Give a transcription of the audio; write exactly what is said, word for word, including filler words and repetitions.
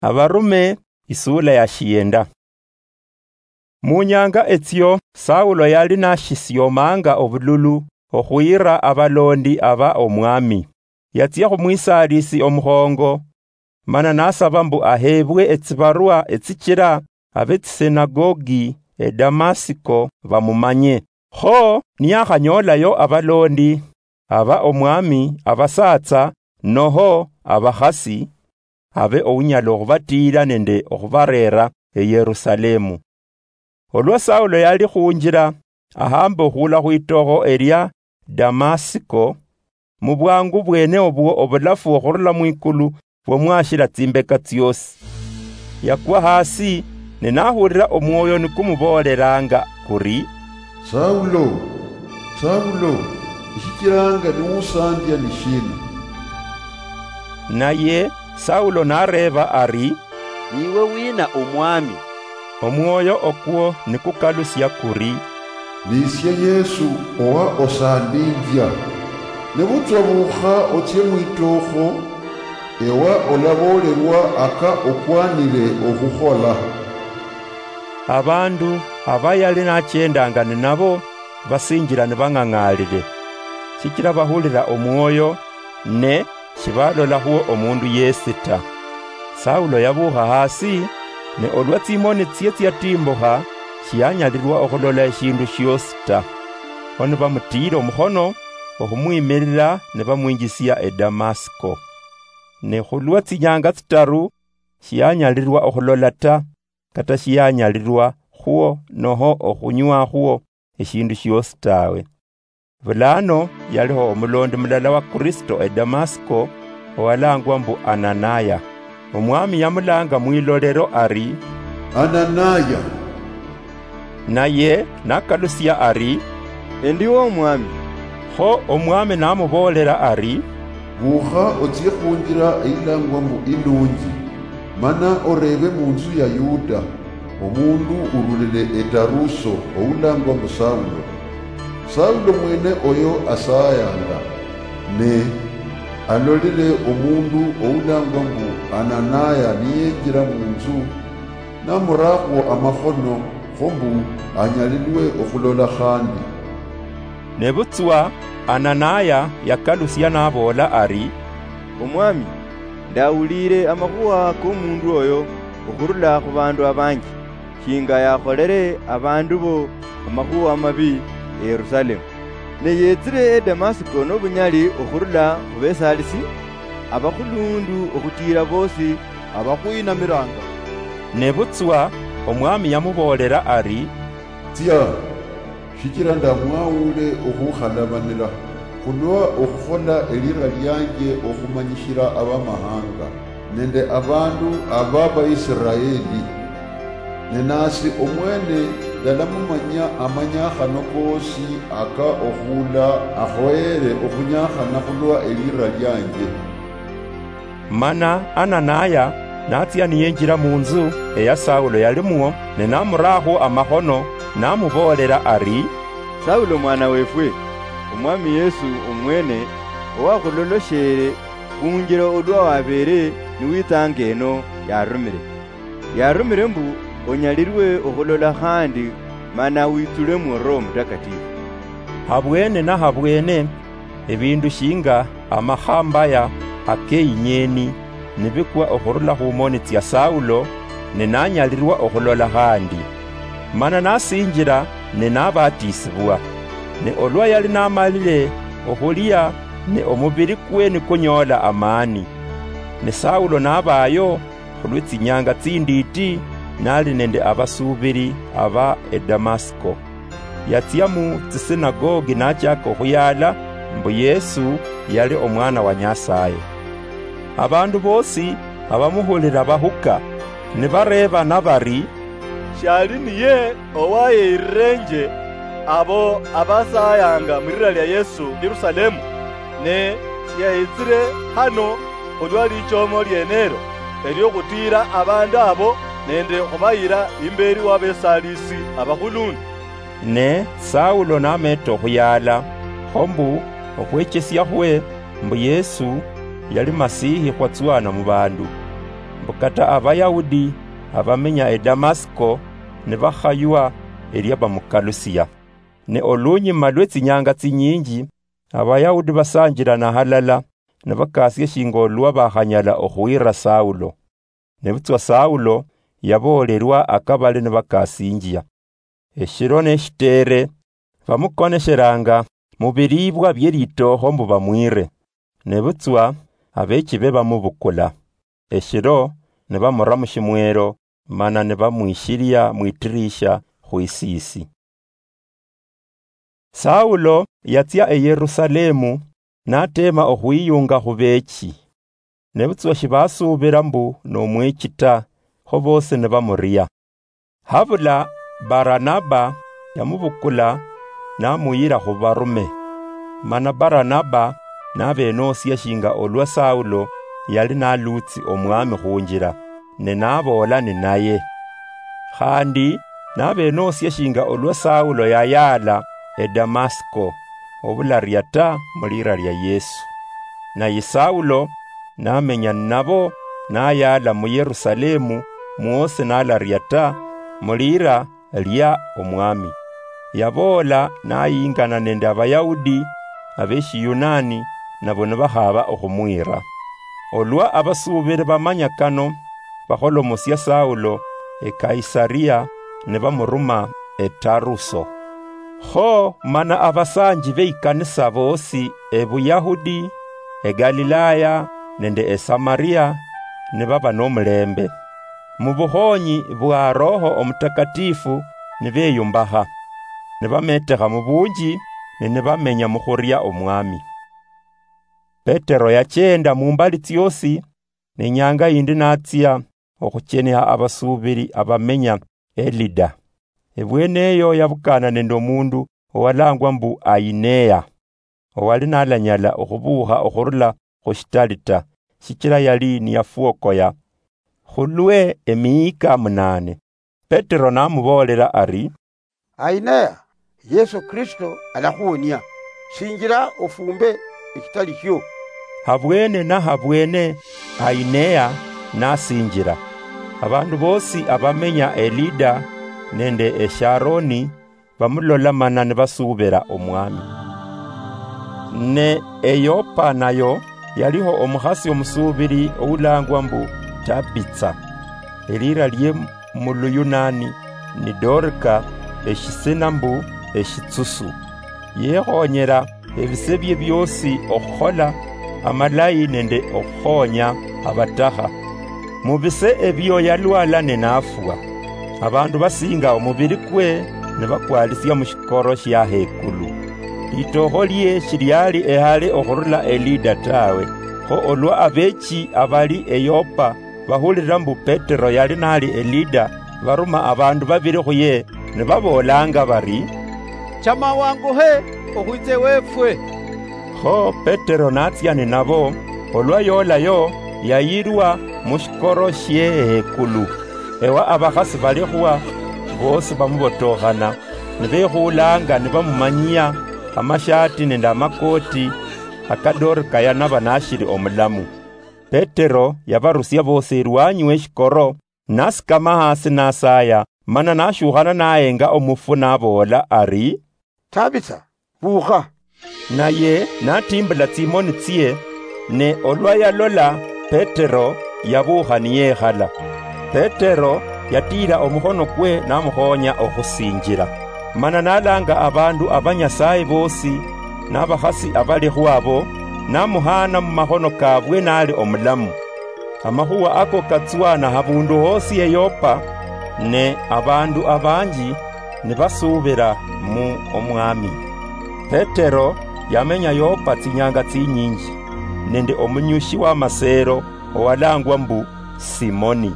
Abarume, isula ya shienda. Mu nyanga etsio, Saulo yali nashisiomanga obululu okhuyira abalondi aba Omwami. Yatsia khumwisalisi omukhongo, mana nasaba mbu ahebwe etsibarua etsichira abetsisinagogi eDamasiko bamumanye. Kho niyakhanyolayo abalondi aba Omwami, abasatsa noho abakhasi, abe ounyala okhubatira nende okhubarera eYerusalemu. Olwa Saulo yali khunjira, ahamba okhula khwitokho elia Damasiko, mu bwangu bwene obwo obulafu okhurula mwikulu bwamwashira tsimbeka tsiosi. Yakwa hasi, ne nahulira omwoyo nikumuboleranga kuri, "Saulo, Saulo, eshichiranga niwusandia ni shina?" Naye Saulo nareba ari, "Niwe wina, Omwami?" Omwoyo okwo nikukalusia kuri, "Nisie Yesu owa osandinjia. Nebutswa bukha otsie mwitokho, ewa olabolerwa aka okwanire okhukhola." Abandu aba yali nachendanga ninabo basinjira nibang'ang'alire, shichira bahulira omwoyo, ne shibalolakhwo omundu yesi ta. Saulo yabukha hasi, ne olwa tsimoni tsie tsiatimbukha, shiyanyalirwa okhulola eshindu shiosi ta. Kho nibamutiira omukhono okhumwimirira, nibamwinjisia eDamasiko. Ne khulwa tsinyanga tsitaru, shiyanyalirwa okhulola ta, kata shiyanyalirwa khwo noho okhunywakhwo eshindu shiosi tawe. Bulano yaliho omulondi mulala wa Kristo eDamasiko, owalangwa mbu Ananaya. Omwami yamulanga mwilolero ari, "Ananaya!" Naye nakalusia ari, "Endiwo, Omwami." Kho Omwami namuboolera ari, "Bukha otsie khunjira eyilangwa mbu Ilunji, mana oreebe munzu ya Yuda, omundu urulile eTaruso oulangwa mbu Saulo. Saulo mwene oyo asayanga, ne alolile omundu oulangwa mbu Ananaya niyenjira munzu, namurakhwo amakhono, kho mbu anyalilwe okhulola khandi." Nebutswa Ananaya yakalusia naboola ari, "Omwami, ndawuliire amakhuwa komundu oyo okhurula khubandu abanji, shinga yakholere abandu bo amakhuwa amabi eYerusalemu. Ne yetsire eDamasiko nobunyali okhurula khubesalisi abakhulundu okhutiira bosi abakhwinamiranga." Nebutswa Omwami yamuboolera ari, "Tsia, shichira ndamwawule okhukhalabanira, khulwa okhukhola elira lianje okhumanyishira abamahanga nende abandu aba Baisiraeli. Ne nasi omwene ndalamumanya amanyakhano kosi aka okhula akhoyere okhunyakhana khulwa elira lianje." Mana Ananaya natsia niyenjira munzu eya Saulo yalimwo, ne namurakhwo amakhono, namuboolera ari, "Saulo mwana wefwe, Omwami Yesu omwene owakhuloloshere khunjira olwa wabeere niwitsanga eno yarumire. Yarumire mbu onyalirwe okhulola khandi, mana witsulemo Roho Mutakatifu." Habwene na habwene, ebindu shinga amakhambaya akeinyieni nibikwa okhurula khumoni tsia Saulo, ne nanyalirwa okhulola khandi. Mana nasinjira ne nabatisibwa. Ne olwa yali namalire okhulia, ne omubiri kwe nikunyoola amani. Ne Saulo nabayo khulwe tsinyanga tsinditi, nali nende abasuubiri aba eDamasiko. Yatsia mu tsisinagogi nachaka okhuyaala mbu Yesu yali Omwana wa Nyasaye. Abandu bosi abamuhulira bahuka, nibareebana bari, "Shali niye owayeyirirenje abo abasayanga mwirira lia Yesu Yerusalemu, ne shiyayitsire hano khulwa lichomo lienelo, eliokhutiira abandu abo nende khubayira imberi wa besalisi abakhulundu?" Ne Saulo nameta okhuyaala, kho mbu okhwechesiakhwe mbu Yesu yali Masihi khwatswana mubandu. mbu kata Abayahudi abamenya e Damasiko nibakhaywa elia bamukalusia. Ne olunyuma lwe tsinyanga tsinyinji, Abayahudi basanjilana halala, nibakasia shinga olwa bakhanyala okhwira Saulo. Nebutswa Saulo yaboolerwa akabali nibakasinjia. Eshiro neshitere, bamukonesheranga mubilibwa bie litookho mbu bamwire. Nebutswa abechibe bamubukula. Eshiro nibamura mushimwero, mana nibamwishilia mwitirisha khwisisi. Saulo yatsia e Yerusalemu, natema okhwiyunga khubechi. Nebutswa shibasuubira mbu nomwechi ta, kho bosi nibamuria. Habula Baranaba yamubukula namuyira khubarume. Mana Baranaba nabenosia shinga olwa Saulo yali nalutsi omwami khunjira, ne naboola ninaye. Khandi nabenosia shinga olwa Saulo yayaala e Damasiko, obularia ta mulira lia Yesu. Naye Saulo namenya ninabo, nayaala mu Yerusalemu mwosi nalaria ta mulira lia Omwami. Yaboola nayingana nende Abayahudi abeshiyunani, nabo nibakhaba okhumwira. Olwa abasuubiri bamanya kano, bakholomosia Saulo e Kaisaria, nibamuruma e Taruso. Kho mana abasanji beikanisa bosi e Buyahudi, e Galilaya nende e Samaria nibaba nomulembe. Mubukhonyi bwa Roho Omutakatifu nibeyumbakha, nibametekha mubunji, ne nibamenya mukhuria Omwami. Petero yachenda mumbali tsiosi, ne inyanga yindi natsia okhucheniha abasuubiri abamenya e Lida. Ebweneyo yabukana nende omundu owalangwa mbu Ainea, owali nalanyala okhubuukha okhurula khushitali ta, shichila yali niyafwokoya khulwe emiyika munane. Petero namuboolela ari, "Ainea, Yesu Kristo alakhuwonia. Sinjila ofumbe eshitali shio." Habwene na habwene Ainea nasinjila. Abandu bosi abamenya e Lida nende e Sharoni bamulola mana nibasuubira Omwami. Ne e Yopa nayo yaliho omukhasi omusuubiri oulangwa mbu Tabitsa, elira lie mu Luyunani ni Dorika, eshisina mbu eshitsusu. Yekhonyera ebise bie biosi okhukhola amalayi nende okhukhonya abatakha. Mu bise ebio yalwala ne nafwa. Abandu basinga omubiri kwe nibakwalisia mu shikoro shia hekulu. Litookho lie shiliali ehale okhurula e Lida tawe, kho olwa abechi abali e Yopa bahulira mbu Petero yali nali e Lida, baruma abandu babiri khuye, nibaboolanga bari, "Chama wanguhe okhwitse wefwe." Kho Petero natsia ninabo, olwa yolayo, yayirwa mu shikoro shie hekulu. Ewa abakhasi balikhwa bosi bamubotokhana, nibekhuulanga nibamumanyia amashati nende amakoti aka Dorika yanaba nashiri omulamu. Petero yabarusia bosi erwanyi weshikoro, nasikama hasi nasaya, mana nashukhana nahenga omufu naboola ari, "Tabitsa, bukha." Naye natimbula tsimoni tsie, ne olwa yalola Petero, yabukha niyekhala. Petero yatiira omukhono kwe namukhonya okhusinjila. Mana nalanga abandu aba Nyasaye bosi, nabakhasi abalikhwo abo, namuhaana mumakhono kabwe nali omulamu. Amakhuwa ako katswana habundu hosi e Yopa, ne abandu abanji nibasuubira mu Omwami. Petero yamenya Yopa tsinyanga tsinyinji, nende omunyushi w'amaseero owalangwa mbu Simoni.